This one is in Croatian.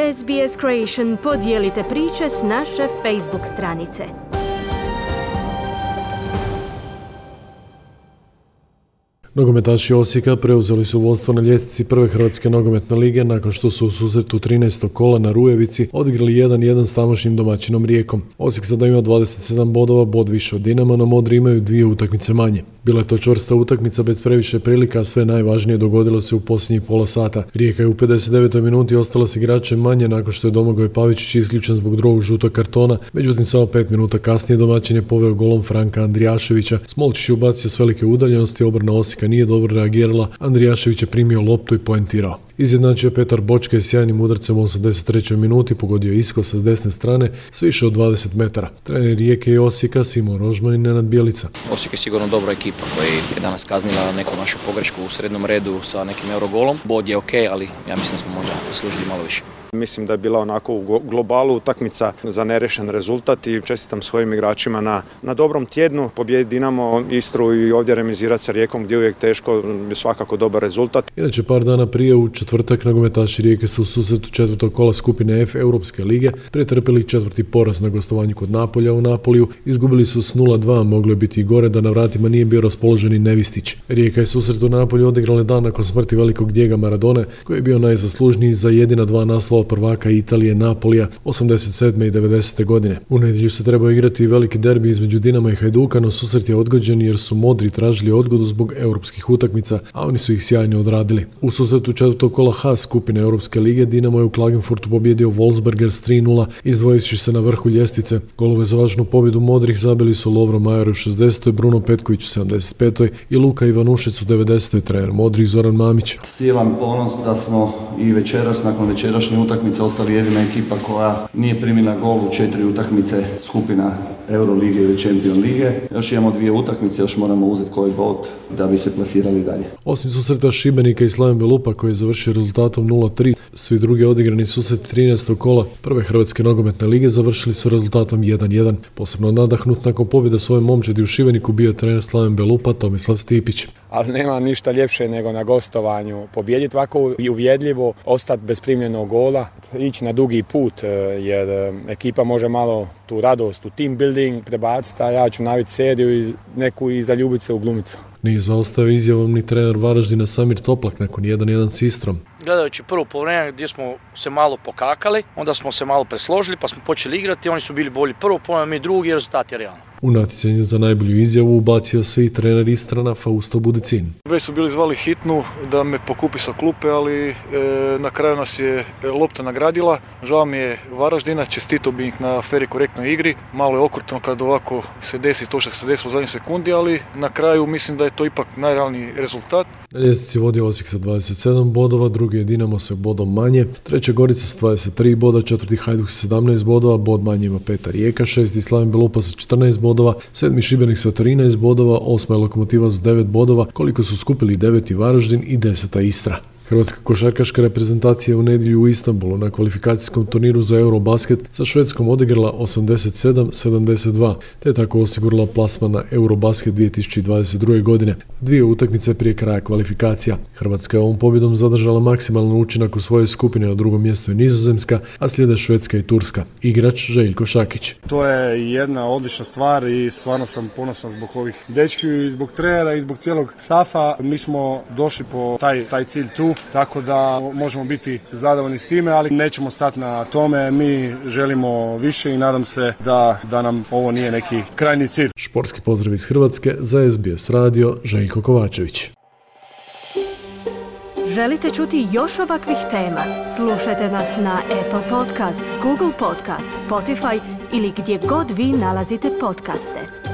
SBS Creation podijelite priče s naše Facebook stranice. Nogometaši Osijeka preuzeli su vodstvo na ljestvici prve Hrvatske nogometne lige nakon što su u susretu 13. kola na Rujevici odigrali 1-1 s tamošnjim domaćinom Rijekom. Osijek sada ima 27 bodova, bod više od Dinama, no Modri imaju 2 utakmice manje. Bila je to čvrsta utakmica bez previše prilika, a sve najvažnije dogodilo se u posljednjih pola sata. Rijeka je u 59. minuti ostala s igračem manje nakon što je Domagoj Pavičić isključen zbog drugog žutog kartona, međutim samo 5 minuta kasnije domaćin je poveo golom Franka Andrijaševića. Smolčić je ubacio s velike udaljenosti, obrana Osijeka nije dobro reagirala, Andrijašević je primio loptu i poentirao. Izjednačio Petar Bočke s sjajnim udarcem u 83. minuti, pogodio iskosa s desne strane s više od 20 metara. Trener Rijeke i Osijeka Simo Rožman i Nenad Bjelica. Osijek je sigurno dobra ekipa koja je danas kaznila neku našu pogrešku u srednjem redu sa nekim eurogolom. Bod je ok, ali ja mislim da smo možda zaslužili malo više. Mislim da je bila onako u globalu utakmica za nerešen rezultat i čestitam svojim igračima na dobrom tjednu. Pobjedi Dinamo Istru i ovdje remizirati sa Rijekom gdje je uvijek teško, je svakako dobar rezultat. Inače, par dana prije u četvrtak nogometaši Rijeke su u susretu četvrtog kola skupine F Europske lige pretrpjeli 4. poraz na gostovanju kod Napolja u Napoliju. Izgubili su s 0-2, moglo je biti i gore da na vratima nije bio raspoloženi Nevistić. Rijeka je susret u Napolju odigrala dan nakon smrti velikog Diega Maradone, koji je bio najzaslužniji za jedina 2 naslova prvaka Italije Napolija 87. i 90. godine. U nedjelju se trebao igrati veliki derbi između Dinama i Hajduka, no susret je odgođen jer su Modri tražili odgodu zbog europskih utakmica, a oni su ih sjajno odradili. U susretu četvrtog kola H skupine Europske lige Dinamo je u Klagenfurtu pobjedio Wolfsberger s 3-0, izdvojujući se na vrhu ljestvice. Golove za važnu pobjedu Modrih zabili su Lovro Majer u 60. Bruno Petković u 75. i Luka Ivanušec u 90. trener Modrih Zoran Mamić. Silan ponos da smo i večeras nakon večerašnje utakmice ostali jedina ekipa koja nije primila gol u 4 utakmice skupina Eurolige ili Champion lige. Još imamo 2 utakmice, još moramo uzeti koji bod da bi se plasirali dalje. Osim susreta Šibenika i Slaven Belupa koji je završio rezultatom 0-3, svi drugi odigrani susret 13. kola prve Hrvatske nogometne lige završili su rezultatom 1-1. Posebno nadahnut nakon pobjede svoje momčadi u Šibeniku bio trener Slaven Belupa Tomislav Stipić. Ali nema ništa ljepše nego na gostovanju pobijediti ovako i uvjedljivo, ostati bez primljenog gola, ići na dugi put jer ekipa može malo tu radost u team building prebaciti, a ja ću naviti seriju neku i zaljubiti se u glumicu. Nije zaostao izjavom ni trener Varaždina Samir Toplak nakon 1-1 s Istrom. Gledajući prvo poluvreme gdje smo se malo pokakali, onda smo se malo presložili pa smo počeli igrati, oni su bili bolji prvo poluvreme, mi drugi i rezultat je realno. U natjecanju za najbolju izjavu ubacio se i trener Istrana Fausto Budicin. Već su bili zvali hitnu da me pokupi sa klupe, ali na kraju nas je lopta nagradila. Žao mi je Varaždina, čestitao bi ih na fer i korektnoj igri. Malo je okrutno kad ovako se desi to što se desilo u zadnjoj sekundi, ali na kraju mislim da je to ipak najrealniji rezultat. Na ljestvici vodi Osijek sa 27 bodova, drugi je Dinamo sa bodom manje, treća Gorica sa 23 boda, četvrti Hajduk sa 17 bodova, bod manje ima Petar Rijeka, šesti Slaven Belupa sa 14 bodova, sedmi Šibenik sa 13 bodova, osma je Lokomotiva sa 9 bodova, koliko su skupili 9. Varaždin i 10. Istra. Hrvatska košarkaška reprezentacija u nedjelju u Istanbulu na kvalifikacijskom turniru za Eurobasket sa Švedskom odigrala 87-72, te tako osigurala plasman na Eurobasket 2022. godine, 2 utakmice prije kraja kvalifikacija. Hrvatska je ovom pobjedom zadržala maksimalan učinak u svojoj skupini, na drugom mjestu je Nizozemska, a slijede Švedska i Turska. Igrač Željko Šakić. To je jedna odlična stvar i stvarno sam ponosan zbog ovih dečki i zbog trenera i zbog cijelog stafa. Mi smo došli po taj cilj tu, tako da možemo biti zadovoljni s time, ali nećemo stati na tome. Mi želimo više i nadam se da nam ovo nije neki krajnji cilj. Športski pozdrav iz Hrvatske za SBS radio, Željko Kovačević. Želite čuti još ovakvih tema? Slušajte nas na Apple Podcast, Google Podcast, Spotify ili gdje god vi nalazite podcaste.